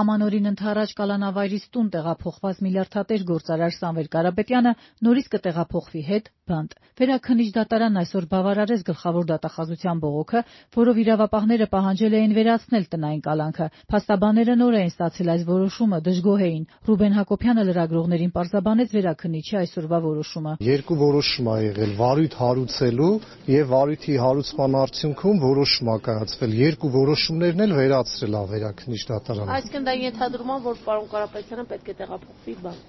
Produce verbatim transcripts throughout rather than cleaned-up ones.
Ամանորին ընդառաջ կալանավայրից տուն տեղափոխված միլիարդատեր գործարար Սամվել Կարապետյանը նորից կտեղափոխվի հետ բանտ։ Վերաքննիչ դատարանն այսօր բավարարեց գլխավոր դատախազության բողոքը, որով իրավապահները պահանջել էին վերացնել տնային կալանքը։ Փաստաբանները նոր էին ստացել այս որոշումը, դժգոհ էին։ Ռուբեն Հակոբյանը լրագրողներին պարզաբանեց վերաքննիչի այսօրվա որոշումը։ Երկու որոշում ա եղել՝ վարույթ հարուցելու եւ վարույթի հարուցման արդյունքում որոշում ա կայացվել։ Երկու որոշումներն էլ վերացրել ա վերաքննիչ դատարանը։ Այսինքն դա ենթադրում ա, որ պարոն Կարապետյանը պետք է տեղափոխվի բանտ։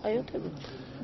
Այո թե ոչ։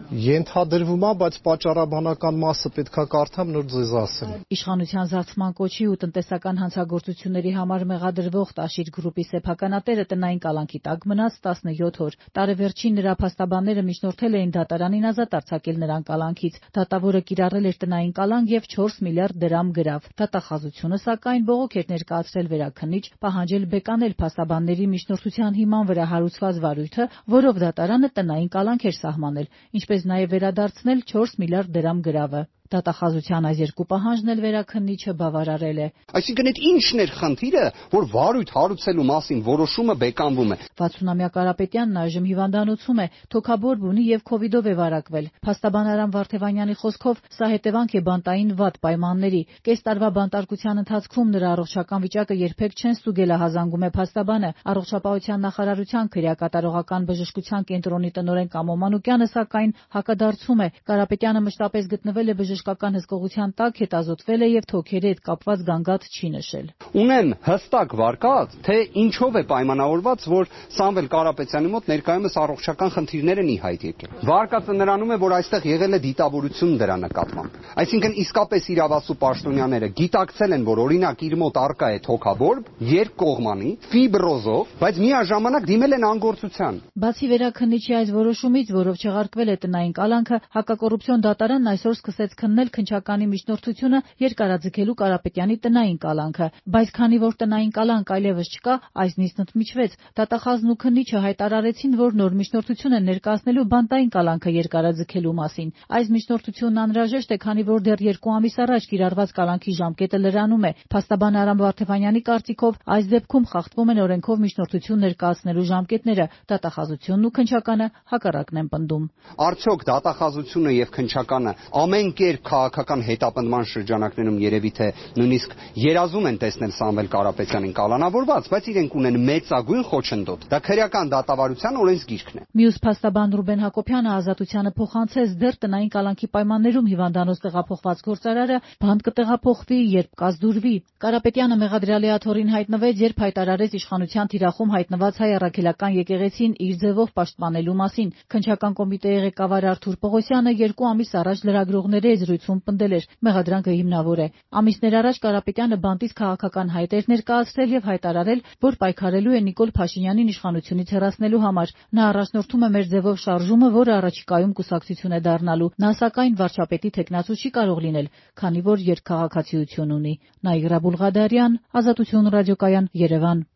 Ենթադրվում ա, բայց պատճառաբանական մասը պետքա կարդամ, նոր ձեզ ասեմ։ Իշխանության զարթման կոչի ու տնտեսական հանցագործությունների համար մեղադրվող Տաշիր գրուպի սեփականատերը տնային կալանքի տակ մնաց տասնյոթ օր։ Տարեվերջին նրա փաստաբանները միջնորդել էին դատարանին ազատ արձակել նրան կալանքից։ Դատավորը կիրառել էր տնային կալանք եւ չորս միլիարդ դրամ գրավ։ Դատախազությունը սակայն բողոք էր ներկայացրել վերաքննիչ, պահանջել բեկանել փաստաբանների միջնորդության հիման վրա հարուցված վարույթը, որով դատարանը տնային կալանք էր սահմանել, ինչպես նաև վերադարձնել չորս միլիարդ դրամ գրավը։ Դատախազության այս երկու պահանջն էլ վերաքննիչը բավարարել է։ Այսինքն այդ ի՞նչն էր խնդիրը, որ վարույթ հարուցելու մասին որոշումը բեկանվում է։ վաթսունամյա Կարապետյանն այժմ հիվանդանոցում է, թոքաբորբ ունի եւ քովիդով է վարակվել։ Փաստաբան Արամ Վարդևանյանի խոսքով սա հետևանք է բանտային վատ պայմանների։ Կես տարվա բանտարկության ընթացքում նրա առողջական վիճակը երբեք չեն ստուգել, հազանգում է փաստաբանը։ Առողջապահության նախարարության քրեակատարողական բժշկության կենտրոնի տնօրեն Կամո Մանուկյանը սակայն հակադարձում է։ Կարապետյանը մշտապես գտնվել է բժշկական հսկողության տակ, հետազոտվել է եւ թոքերի հետ կապված գանգատ չի նշել։ Ունեմ հստակ վարկած, թե ինչով է պայմանավորված, որ Սամվել Կարապետյանի մոտ ներկայումս առողջական խնդիրներ են ի հայտ եկել։ Վարկածը նրանում է, որ այստեղ եղել է դիտավորություն դրա նկատմամբ։ Այսինքն իսկապես իրավասու պաշտոնյաները գիտակցել են, որ օրինակ իր մոտ առկա է թոքաբորբ, երկկողմանի, ֆիբրոզով, բայց միաժամանակ դիմել են անգործության։ Բացի վերաքննիչի այս որոշումից, որով չեղարկվել է տնային կալանքը, հակակոռուպցիոն դատարանն այսօր սկսեց քննել քննչականի միջնորդությունը երկարաձգելու Կարապետյանի տնային կալանքը, բայց քանի որ տնային կալանք այլևս չկա, այս նիստն ընդմիջվեց։ Դատախազն ու քննիչը հայտարարեցին, որ նոր միջնորդություն են ներկայացնելու բանտային կալանքը երկարաձգելու մասին։ Այս միջնորդությունն անհրաժեշտ է, քանի որ դեռ երկու ամիս առաջ կիրառված կալանքի ժամկետը լրանում է։ Փաստաբան Արամ Վարդևանյանի կարծիքով այս դեպքում խախտվում են օրենքով միջնորդություն ներկայացնելու ժամկետները։ Դատախազությունն ու քննչականը հակառակն են պնդում։ Արդյոք դատախազությունը եւ քննչականը ամեն կերպ քաղաքական հետապնդման շրջանակներում երևի թե նույնիսկ երազում են տեսնել Սամվել Կարապետյանին կալանավորված, բայց իրենք ունեն մեծագույն խոչընդոտ։ Դա քրեական դատավարության օրենսգիրքն է։ Մյուս փաստաբան Ռուբեն Հակոբյանը ազատությանը փոխանցեց դեռ տնային կալանքի պայմաններում հիվանդանոց տեղափոխված գործարարը բանտ կտեղափոխվի, երբ կազդուրվի։ Կարապետյանը մեղադրյալի աթոռին հայտնվեց, երբ հայտարարեց իշխանության թիրախում հայտնված հայ առաքելական եկեղեցին իր ձևով պաշտպանելու մասին։ Քննչական կոմիտեի ղեկավար Արթուր Պողոսյանը երկու ամիս առաջ լրագրողների հետ զրույցում պնդել էր՝ մեղադրանքը հիմնավոր է։ Ամիսներ առաջ Կարապետյանը բանտից քաղաքական հայտ էր ներկայացրել եւ հայտարարել, որ պայքարելու է Նիկոլ Փաշինյանին իշխանությունից հեռացնելու համար։ Նա առաջնորդում է մեր ձևով շարժումը, որը առաջիկայում կուսակցություն է դառնալու։ Նա սակայն վարչապետի թեկնածու չի կարող լինել, քանի որ երկքաղաքացիություն ունի։ Նաիրա Բուլղադարյան, Ազատություն ռադիոկայան, Երևան։